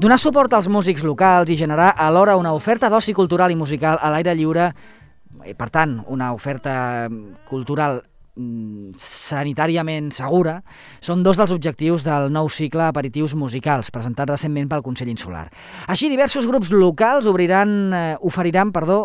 Donar suport als músics locals i generar alhora una oferta d'oci cultural i musical a l'aire lliure, per tant, una oferta cultural sanitàriament segura, són dos dels objectius del nou cicle Aperitius Musicals, presentat recentment pel Consell Insular. Així, diversos grups locals oferiran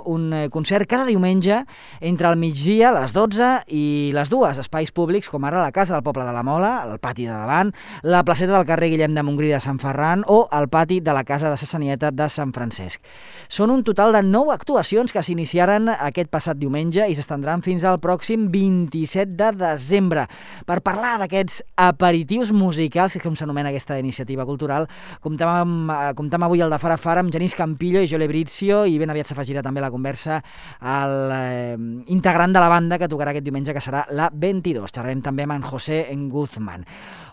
un concert cada diumenge entre el migdia, les 12 i les 2, espais públics com ara la Casa del Poble de la Mola, el pati de davant, la placeta del carrer Guillem de Montgrí de Sant Ferran o el pati de la Casa de Sassanieta de Sant Francesc. Són un total de 9 actuacions que s'iniciaren aquest passat diumenge i s'estendran fins al pròxim 27 de desembre. Per parlar d'aquests aperitius musicals, que és com s'anomena aquesta iniciativa cultural, comptem avui al de Fara Fara amb Genís Campillo i Joel Ebrizio, i ben aviat s'afegirà també a la conversa el integrant de la banda que tocarà aquest diumenge, que serà la 22. Xerrarem també amb en José Guzmán.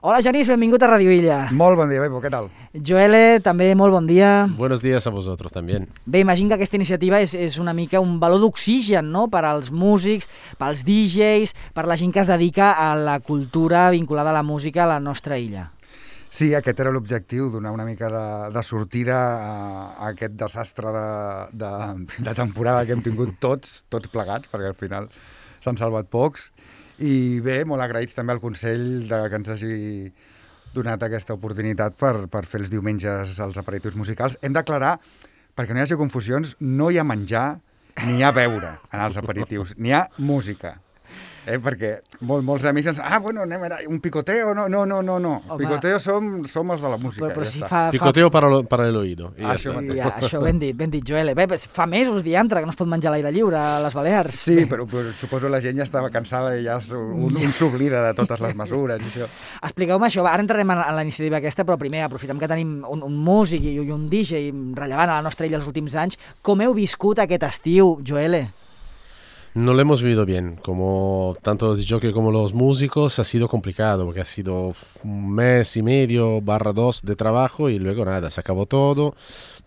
Hola Genís, benvingut a Radio Illa. Molt bon dia, Bebo, què tal? Joel, també molt bon dia. Buenos días a vosotros también. Bé, imagino que aquesta iniciativa és una mica un baló d'oxigen, no?, per als músics, pels DJs, per la gent que es dedica a la cultura vinculada a la música a la nostra illa. Sí, aquest era l'objectiu, donar una mica de sortida a aquest desastre de temporada que hem tingut tots plegats, perquè al final s'han salvat pocs. I bé, molt agraïts també al Consell que ens hagi donat aquesta oportunitat per fer els diumenges els aperitius musicals. Hem d'aclarar, perquè no hi hagi confusions, no hi ha menjar ni hi ha beure en els aperitius, n'hi ha música. Perquè molts amics ens... bueno, anem a un picoteo. No. Picoteo som els de la música. Però si picoteo para el oído. Això ben dit, Joel. Bé, fa mesos diantre que no es pot menjar a l'aire lliure a les Balears. Sí, però suposo la gent ja estava cansada i ja un s'oblida de totes les mesures i això. Expliqueu-me això. Ara entrarem en la iniciativa aquesta, però primer aprofitem que tenim un músic i un DJ rellevant a la nostra illa els últims anys. Com heu viscut aquest estiu, Joel? No lo hemos vivido bien, como tanto los DJs como los músicos ha sido complicado, porque ha sido 1.5 meses / 2 de trabajo y luego nada, se acabó todo,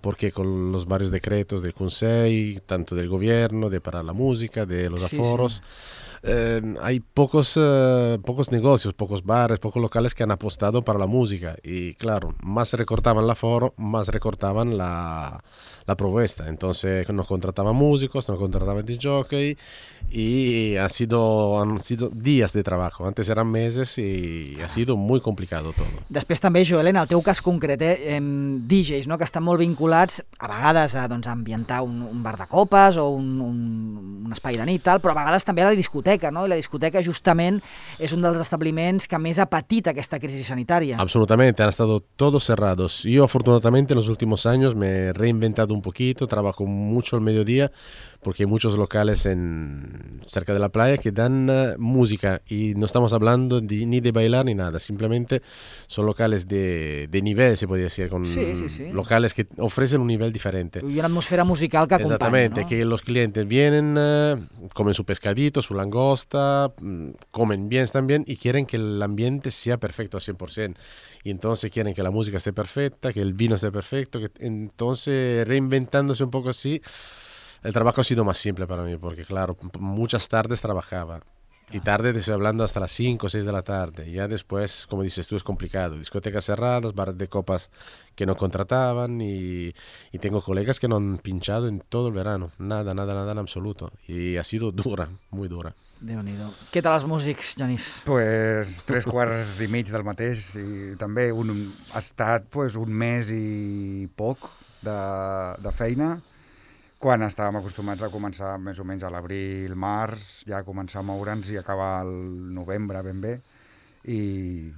porque con los varios decretos del Consejo, tanto del gobierno, de parar la música, de los aforos, hay pocos negocios, pocos bares, pocos locales que han apostado para la música y claro, más recortaban el aforo, más recortaban la propuesta. Entonces no contrataban músicos, no contrataban DJ y han sido días de trabajo. Antes eran meses y ha sido muy complicado todo. Després també, Joel, en el teu cas concret, DJs, no?, que estan molt vinculats a vegades a ambientar un bar de copes o un espai de nit, però a vegades també a la discoteca, no? I la discoteca justament és un dels establiments que més ha patit aquesta crisi sanitària. Absolutamente, han estado todos cerrados. Yo afortunadamente en los últimos años me he reinventado un poquito, trabajo mucho al mediodía porque hay muchos locales cerca de la playa que dan música y no estamos hablando ni de bailar ni nada, simplemente son locales de nivel, se podría decir, con locales que ofrecen un nivel diferente. Y una atmósfera musical que acompaña, exactamente, ¿no? Que los clientes vienen, comen su pescadito, su langosta, comen bien también y quieren que el ambiente sea perfecto al 100%. Y entonces quieren que la música esté perfecta, que el vino esté perfecto, entonces reinventándose un poco así. El trabajo ha sido más simple para mí, porque claro, muchas tardes trabajaba. Y tarde te estoy hablando hasta las 5 o 6 de la tarde. Ya después, como dices tú, es complicado. Discotecas cerradas, bares de copas que no contrataban y tengo colegas que no han pinchado en todo el verano. Nada en absoluto. Y ha sido dura, muy dura. Déu-n'hi-do. Què tal els músics, Genís? Pues 3/4 del mateix i també ha estat un mes i poc de feina. Quan estàvem acostumats a començar més o menys a l'abril, març, ja començar a moure'ns i acabar el novembre ben bé, i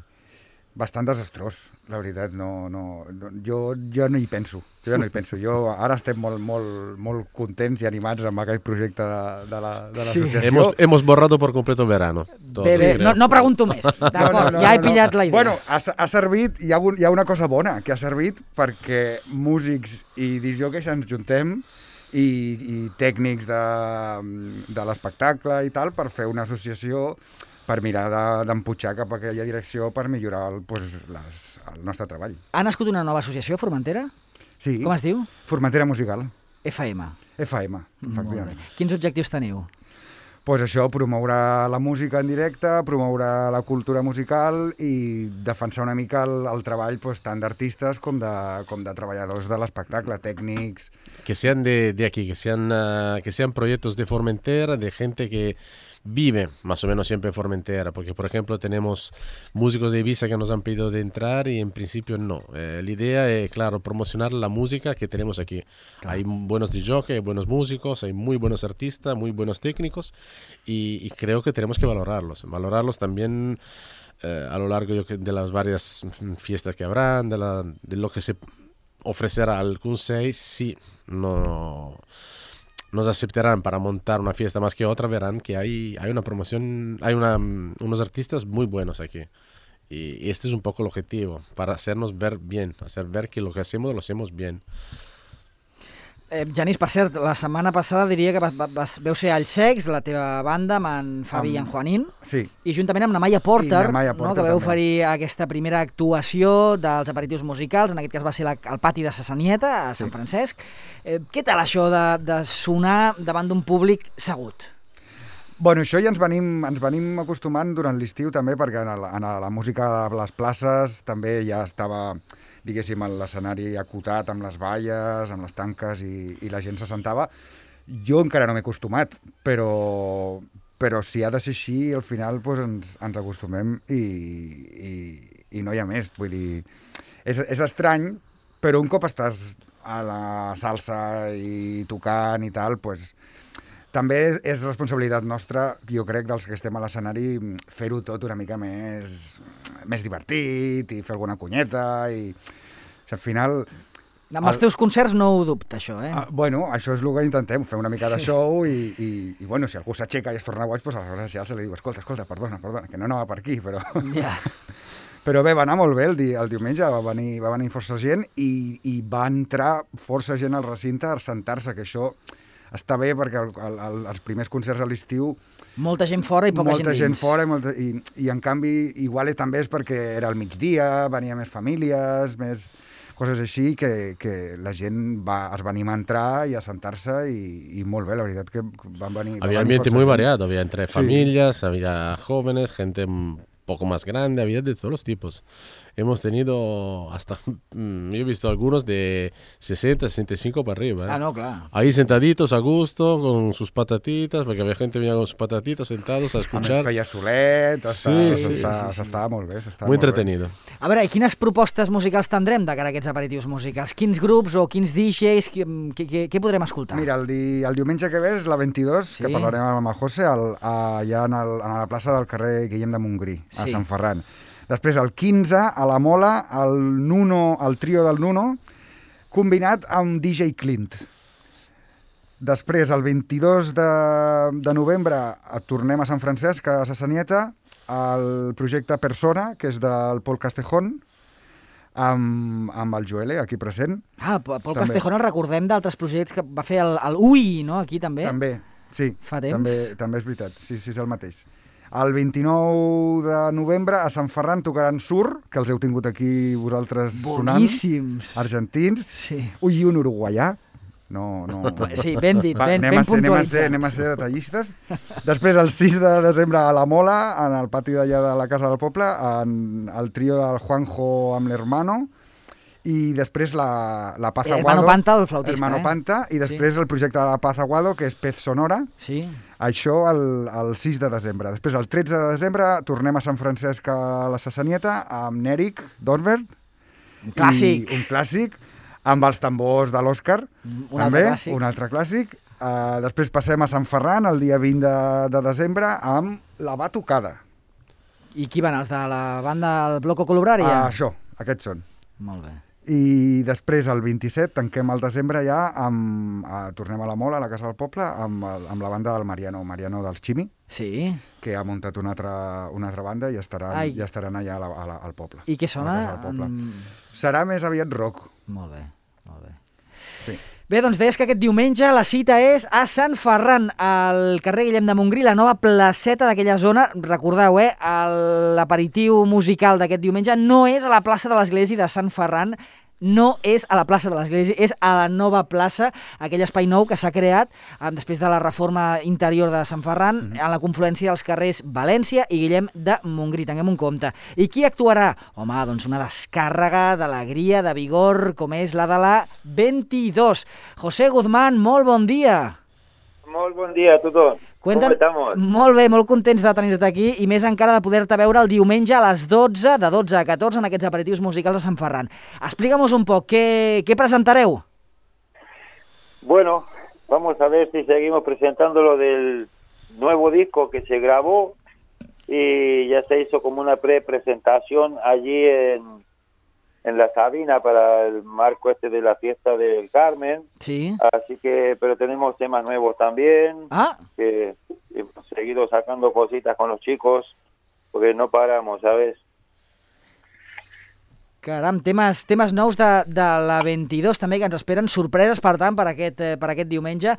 bastant desastrós, la veritat. Jo no hi penso. Jo ara estem molt contents i animats amb aquest projecte de l'associació. Hemos borrado por completo el verano. Bé, no pregunto més, d'acord, ja he pillat la idea. Bueno, ha servit, hi ha una cosa bona, que ha servit perquè músics i discjòqueis ens juntem i tècnics de l'espectacle i tal, per fer una associació per mirar d'emputxar cap a aquella direcció per millorar el nostre treball. Ha nascut una nova associació, Formentera? Sí. Com es diu? Formentera Musical. FM. FM, efectivament. Quins objectius teniu? pues això, promoure la música en directe, promoure la cultura musical i defensar una mica el treball pues, tant d'artistes com de treballadors de l'espectacle, tècnics. Que sean de aquí, que sean proyectos de Formentera, de gente que vive más o menos siempre en Formentera, porque por ejemplo tenemos músicos de Ibiza que nos han pedido de entrar y en principio no. La idea es, claro, promocionar la música que tenemos aquí. Claro. Hay buenos DJs, hay buenos músicos, hay muy buenos artistas, muy buenos técnicos y creo que tenemos que valorarlos también a lo largo de las varias fiestas que habrán, de lo que se ofrecerá al Q6, sí, no nos aceptarán para montar una fiesta más que otra, verán que hay una promoción, unos artistas muy buenos aquí. Y este es un poco el objetivo, para hacernos ver bien, hacer ver que lo que hacemos lo hacemos bien. Genís, per cert, la setmana passada diria que veu ser Alls Secs, la teva banda, amb en Fabi i en Juanín, sí. I juntament amb la Maya Porter, no, que veu oferir aquesta primera actuació dels aperitius musicals, en aquest cas va ser al pati de Sassanieta, a Sant Francesc. Què tal això de sonar davant d'un públic segut? Bueno, això ja ens venim acostumant durant l'estiu també, perquè en la música de les places també ja estava, diguéssim, l'escenari acotat amb les valles, amb les tanques i la gent se sentava. Jo encara no m'he acostumat, però si ha de ser així, al final doncs, ens acostumem i no hi ha més. Vull dir, és estrany, però un cop estàs a la salsa i tocant i tal, doncs, també és responsabilitat nostra, jo crec, dels que estem a l'escenari, fer-ho tot una mica més divertit i fer alguna cunyeta i... O sigui, al final... Amb els teus concerts no ho dubta, això, eh? Bueno, això és el que intentem, fer una mica de show i bueno, si algú s'aixeca i es torna boig, doncs aleshores ja se li diu, escolta, perdona, que no anava per aquí, però... Ja. Però bé, va anar molt bé el diumenge, va venir força gent i va entrar força gent al recinte a sentar-se, que això està bé perquè els primers concerts a l'estiu... Molta gent fora i poca gent dins. Molta gent fora i en canvi igual també és perquè era al migdia, venia més famílies, més coses així, que la gent es va animar a entrar i a sentar-se i molt bé, la veritat que van venir... Había ambiente muy variado, había entre familias, había jóvenes, gente un poco más grande, había de todos los tipos. Hemos tenido hasta, yo he visto algunos de 60, 65 para arriba. ¿eh? Ah, no, claro. Ahí sentaditos a gusto, con sus patatitas, porque había gente que venía con sus patatitas sentados a escuchar. A més feia solet, s'estava molt bé. Muy entretenido. A veure, i quines propostes musicals tindrem de cara a aquests aperitius musicals? Quins grups o quins DJs, què podrem escoltar? Mira, el diumenge que ve és la 22, que parlarem amb el José, allà a la plaça del carrer Guillem de Montgrí, a Sant Ferran. Després, el 15, a la Mola, el trio del Nuno, combinat amb DJ Clint. Després, el 22 de novembre, tornem a Sant Francesc, a Sassanieta, el projecte Persona, que és del Pol Castejón, amb el Joele, aquí present. Ah, Pol Castejón el recordem d'altres projectes que va fer el UI, no?, aquí també. També, sí. Fa temps. També és veritat, sí, és el mateix. El 29 de novembre a Sant Ferran tocaran Sur, que els heu tingut aquí vosaltres sonant. Boníssims. Argentins. Sí. Ui, i un uruguaià. No. Sí, ben dit, ben puntualitzat. Anem a ser detallistes. Després, el 6 de desembre a la Mola, en el pati d'allà de la Casa del Poble, el trio del Juanjo amb l'Hermano, i després la Paz Aguado. Hermano Panta, el flautista. Hermano Panta, i després el projecte de la Paz Aguado, que és Pez Sonora. Sí. Això el 6 de desembre. Després, el 13 de desembre, tornem a Sant Francesc a la Sassanieta amb Nèric Dorvert. Un clàssic. Un clàssic, amb els tambors de l'Òscar. Un altre clàssic. Després passem a Sant Ferran el dia 20 de desembre amb La Batucada. I qui van, els de la banda del Bloco Colubraria? Això, aquests són. Molt bé. I després, el 27, tanquem el desembre ja, tornem a la Mola, a la Casa del Poble, amb la banda del Mariano dels Chimi, que ha muntat una altra banda i estaran allà al poble. I què sona? Serà més aviat rock. Molt bé, molt bé. Sí. Bé, doncs deies que aquest diumenge la cita és a Sant Ferran, al carrer Guillem de Montgrí, la nova placeta d'aquella zona. Recordeu, l'aperitiu musical d'aquest diumenge no és a la plaça de l'Església de Sant Ferran, no és a la plaça de l'Església, és a la nova plaça, aquell espai nou que s'ha creat després de la reforma interior de Sant Ferran, a la confluència dels carrers València i Guillem de Montgrí, tinguem un compte. I qui actuarà? Home, doncs una descàrrega d'alegria, de vigor, com és la de la 22. José Guzmán, molt bon dia. Molt bon dia a tothom. Com estamos? Molt bé, molt contents de tenir-te aquí i més encara de poder-te veure el diumenge a les 12, de 12 a 14, en aquests aperitius musicals de Sant Ferran. Explica'm un poc, què presentareu? Bueno, vamos a ver si seguimos presentando lo del nuevo disco que se grabó y ya se hizo como una pre-presentación allí en la Sabina para el marco de la fiesta del Carmen. Sí. Así que, pero tenemos temas nuevos también, que hemos seguido sacando cositas con los chicos, porque no paramos, ¿sabes? Caram, temes nous de la 22 també, que ens esperen sorpreses, per tant, per aquest diumenge.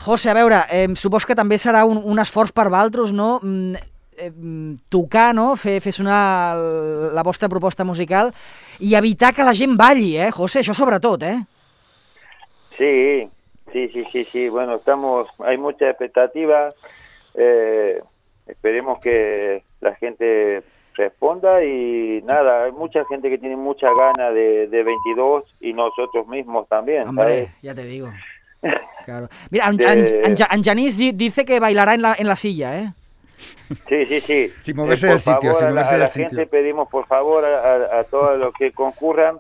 José, a veure, supos que també serà un esforç per vosaltres, no?, tocar, no?, fer sonar la vostra proposta musical i evitar que la gent balli, José? Això sobretot, Sí. Bueno, hay mucha expectativa. Esperemos que la gente responda y nada, hay mucha gente que tiene mucha gana de 22 y nosotros mismos también. Hombre, ¿sabes? ya te digo. Claro. Mira, en Janís dice que bailará en la silla, ¿eh? Sí. Sin moverse del sitio, sin moverse a la del sitio. gente pedimos por favor a todos los que concurran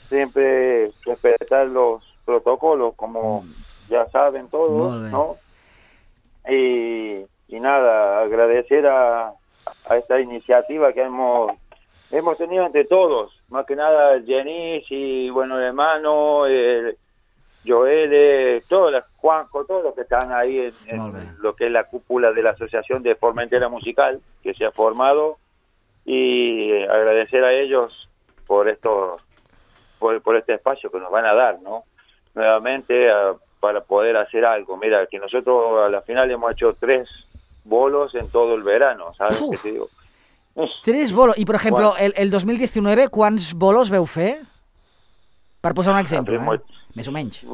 siempre respetar los protocolos, como ya saben todos, ¿no? Y nada, agradecer a esta iniciativa que hemos tenido entre todos, más que nada Jenis y bueno, el hermano, Joel, Juanjo, todos los que están ahí en lo que es la cúpula de la Asociación de Formentera Musical que se ha formado, y agradecer a ellos por por este espacio que nos van a dar, ¿no? Nuevamente para poder hacer algo. Mira, que nosotros a la final hemos hecho 3 bolos en todo el verano, ¿sabes qué te digo? 3 bolos. I, per exemple, el 2019, quants bolos veu fer? Per posar un exemple, més o menys.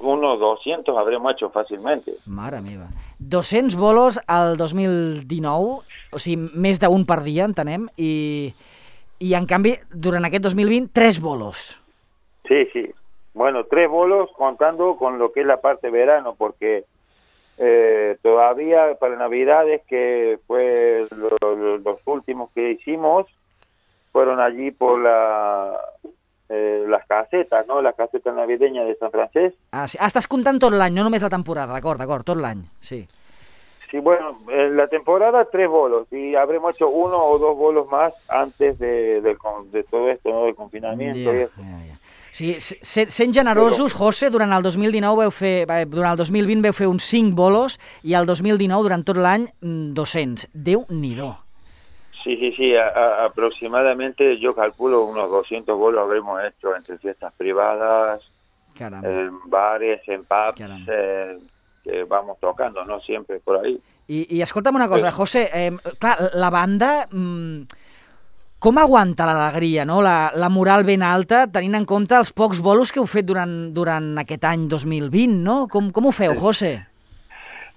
Unos 200 habremos hecho fácilmente. Mare meva. 200 bolos al 2019, o sigui, més d'un per dia, entenem, i en canvi, durant aquest 2020, 3 bolos. Sí. Bueno, 3 bolos contando con lo que es la parte verano, porque todavía para Navidades, que fue los últimos que hicimos, fueron allí por las casetas, ¿no? La caseta navideña de San Francesc. Sí. Estàs comptant tot l'any, no només la temporada, d'acord, tot l'any, sí. Sí, bueno, en la temporada 3 bolos, y habremos hecho 1 o 2 bolos más antes de todo esto, ¿no? Del confinamiento y eso. Sí, sent generosos, José, durant el 2020 veu fer uns 5 bolos i el 2019, durant tot l'any, 200. Déu-n'hi-do. Sí, aproximadamente yo calculo unos 200 bolos habremos hecho entre fiestas privadas, en bares, en pubs, que vamos tocando, ¿no? Siempre por ahí. I escolta'm una cosa, José, clar, la banda... Com aguanta l'alegria, no? La moral ben alta, tenint en compte els pocs bolos que heu fet durant aquest any 2020, no? Com ho feu, José?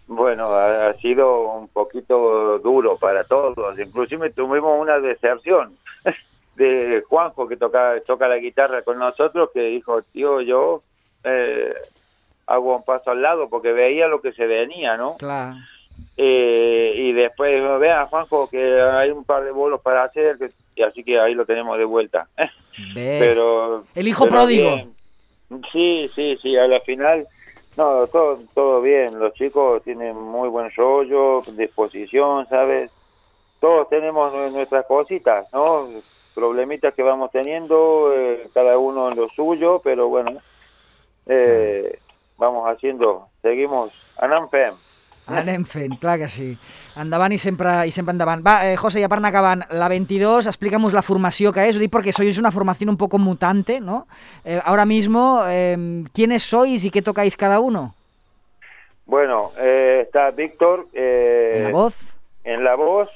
Bueno, ha sido un poquito duro para todos. Inclusive tuvimos una deserción de Juanjo, que toca la guitarra con nosotros, que dijo, tío, yo hago un paso al lado porque veía lo que se venía, ¿no? Claro. Y después, vea, Juanjo, que hay un par de bolos para hacer, y así que ahí lo tenemos de vuelta. Pero el hijo pródigo. Bien. Sí, a la final, no, todo bien. Los chicos tienen muy buen rollo, disposición, ¿sabes? Todos tenemos nuestras cositas, ¿no? Problemitas que vamos teniendo, cada uno en lo suyo, pero bueno, vamos haciendo, seguimos, anem fent, clar que sí. Endavant i sempre endavant. Va, José, ja per anar acabant, la 22, explícanos la formació que es. Ho dic porque sois una formación un poco mutante, ¿no? Ahora mismo, ¿quiénes sois y qué tocáis cada uno? Bueno, está Víctor en la voz,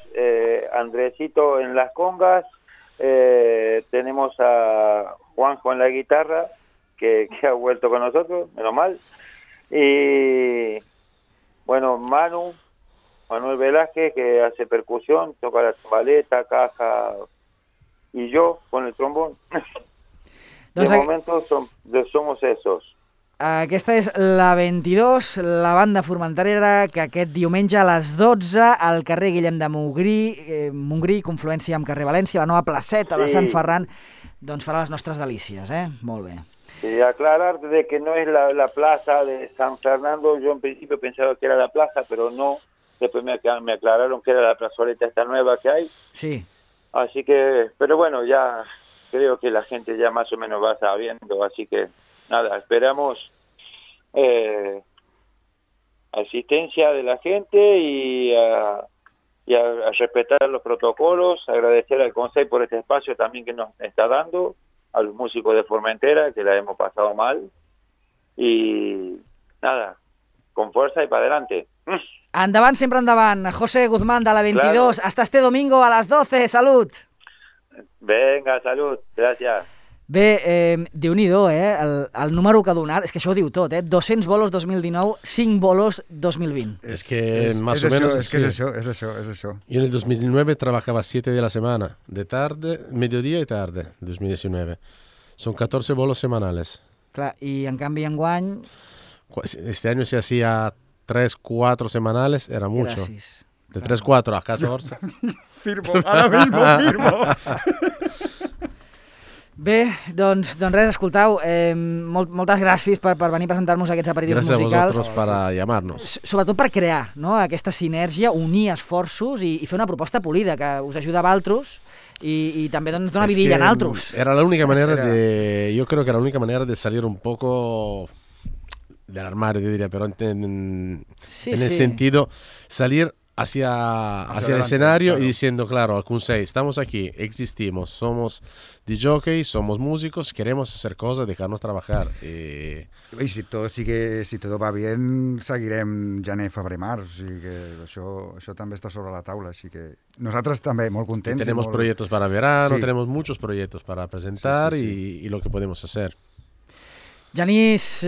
Andresito en las congas, tenemos a Juanjo en la guitarra, que ha vuelto con nosotros, menos mal. Y bueno, Manuel Velázquez, que hace percusión, toca la timbaleta, caja, y yo con el trombón. De momento somos esos. Aquesta és la 22, la banda formenterera, que aquest diumenge a les 12 al carrer Guillem de Montgrí, confluència amb carrer València, la nova placeta de Sant Ferran, doncs farà les nostres delícies, Molt bé. Y aclarar de que no es la plaza de San Fernando. Yo en principio pensaba que era la plaza, pero no. Después me aclararon que era la plazoleta esta nueva que hay. Sí. Así que, pero bueno, ya creo que la gente ya más o menos va sabiendo, así que nada, esperamos asistencia de la gente y a respetar los protocolos, agradecer al Consejo por este espacio también que nos está dando, a los músicos de Formentera, que la hemos pasado mal, y nada, con fuerza y para adelante. Endavant, sempre endavant. José Guzmán, de la 22. Claro. Hasta este domingo a las 12. Salut! Venga, salut. Gràcies. Bé, Déu-n'hi-do, el número que ha donat, és que això ho diu tot, 200 bolos 2019, 5 bolos 2020. Es que más o menos... Es que es eso. Yo en el 2019 trabajaba 7 de la semana, de tarde, mediodía y tarde, 2019. Son 14 bolos semanales. Clar, y en canvi enguany... Este año se hacía 3, 4 semanales, era mucho. Gràcies. De 3, 4 a 14. Firmo, ahora mismo firmo. Bé, doncs res, escoltau, moltes gràcies per venir a presentar-nos aquests aperitius musicals. Gràcies a vosaltres per llamar-nos. Sobretot per crear, no?, aquesta sinergia, unir esforços i fer una proposta polida que us ajuda a vosaltres y también dona vidilla en altres. Era la única manera yo creo que era la única manera de salir un poco del armario, yo diría, pero en el sentido, salir hacia el escenario, claro. Y diciendo, claro, al Kunsei, estamos aquí, existimos, somos DJs, somos músicos, queremos hacer cosas, dejarnos trabajar. Y si todo va bien, seguirem gener, febrer, març, o sigui que això també està sobre la taula, així que nosaltres també molt contents. Y tenemos proyectos para verano, tenemos muchos proyectos para presentar y lo que podemos hacer. Genís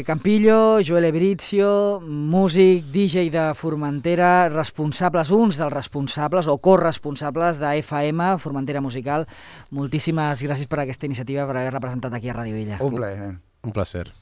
Campillo, Joel Ebrizio, músic, DJ de Formentera, responsables, uns dels responsables o corresponsables de FM, Formentera Musical. Moltíssimes gràcies per aquesta iniciativa, per haver-la presentat aquí a Ràdio Illa. Un plaer. Un placer.